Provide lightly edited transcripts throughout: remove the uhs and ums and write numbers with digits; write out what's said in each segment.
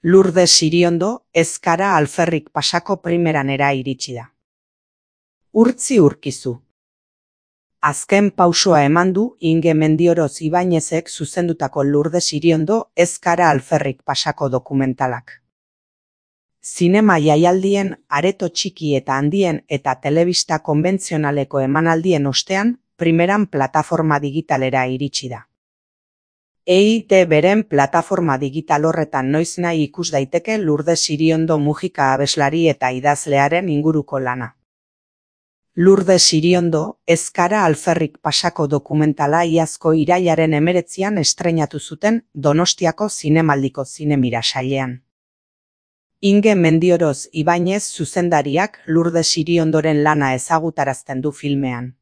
Lourdes Iriondo ez gara alferrik pasako primeranera iritsi da. Urtzi urkizu. Azken pausoa eman du Inge Mendioroz Ibañezek zuzendutako Lourdes Iriondo ez gara alferrik pasako dokumentalak. Zinema jaialdien, areto txiki eta handien eta telebista konbentzionaleko emanaldien ostean, primeran plataforma digitalera iritsi da. EITB-ren plataforma digital horretan noiznahi ikus daiteke Lourdes Iriondo Mujika abeslari eta idazlearen inguruko lana. Lourdes Iriondo ez gara alferrik pasako dokumentala iazko irailaren 19an estreinatu zuten Donostiako Zinemaldiko Zinemira sailean. Inge Mendioroz Ibañez zuzendariak Lourdes Iriondoren lana ezagutarazten du filmean.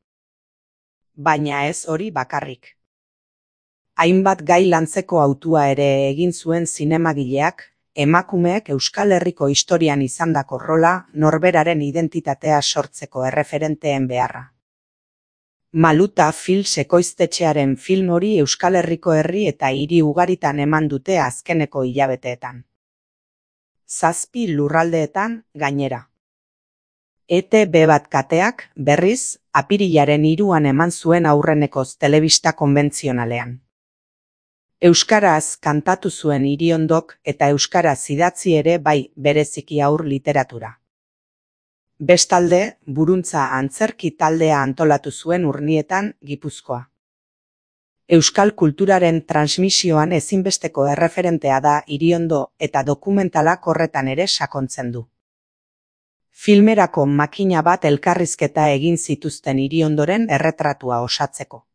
Baina ez hori bakarrik. Hainbat gai lantzeko hautua ere egin zuen zinemagileak, emakumeek Euskal Herriko historian izandako rola, norberaren identitatea sortzeko erreferenteen beharra. Maluta Films ekoiztetxearen film hori Euskal Herriko herri eta hiri ugaritan eman dute azkeneko hilabeteetan. 7 lurraldeetan, gainera. ETB bat kateak, berriz, apirilaren 3an eman zuen aurrenekoz telebista konbentzionalean. Euskaraz kantatu zuen Iriondok eta euskaraz idatzi ere bai bereziki haur literatura. Bestalde, Buruntza antzerki taldea antolatu zuen Urnietan, Gipuzkoa. Euskal kulturaren transmisioan ezinbesteko erreferentea da Iriondo eta dokumentalak horretan ere sakontzen du. Filmerako makina bat elkarrizketa egin zituzten Iriondoren erretratua osatzeko.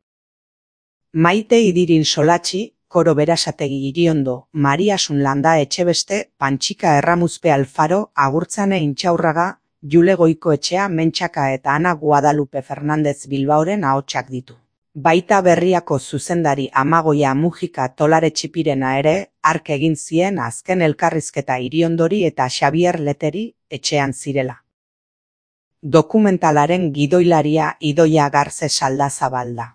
Maite Idirin Solatxi, Koro Berasategi Iriondo, Mariasun Landa Etxebeste, Pantxika Erramuzpe Alfaro, Agurtzane Intxaurraga, Jule Goikoetxea Mentxaka eta Ana Guadalupe Fernandez Bilbaoren ahotsak ditu. Baita Berriako zuzendari Amagoia Mujika Tolaretxipirena ere, hark egin zien azken elkarrizketa Iriondori eta Xabier Leteri etxean zirela. Dokumentalaren gidoilaria Idoia Garze Saldazabal da.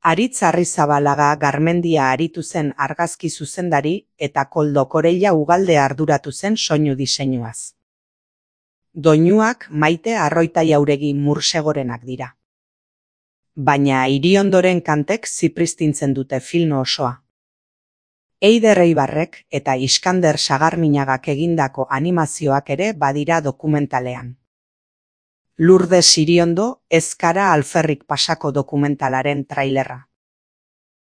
Aritz Arrizabalaga Garmendia aritu zen argazki zuzendari eta Koldo Koreia Ugalde arduratu zen soinu diseinuaz. Doinuak Maite Arroita Jauregi Mursegorenak dira. Baina Iriondoren kantek zipristintzen dute film osoa. Eider Eibarrek eta Iskander Sagarminagak egindako animazioak ere badira dokumentalean. Lourdes Iriondo ez gara alferrik pasako dokumentalaren trailerra.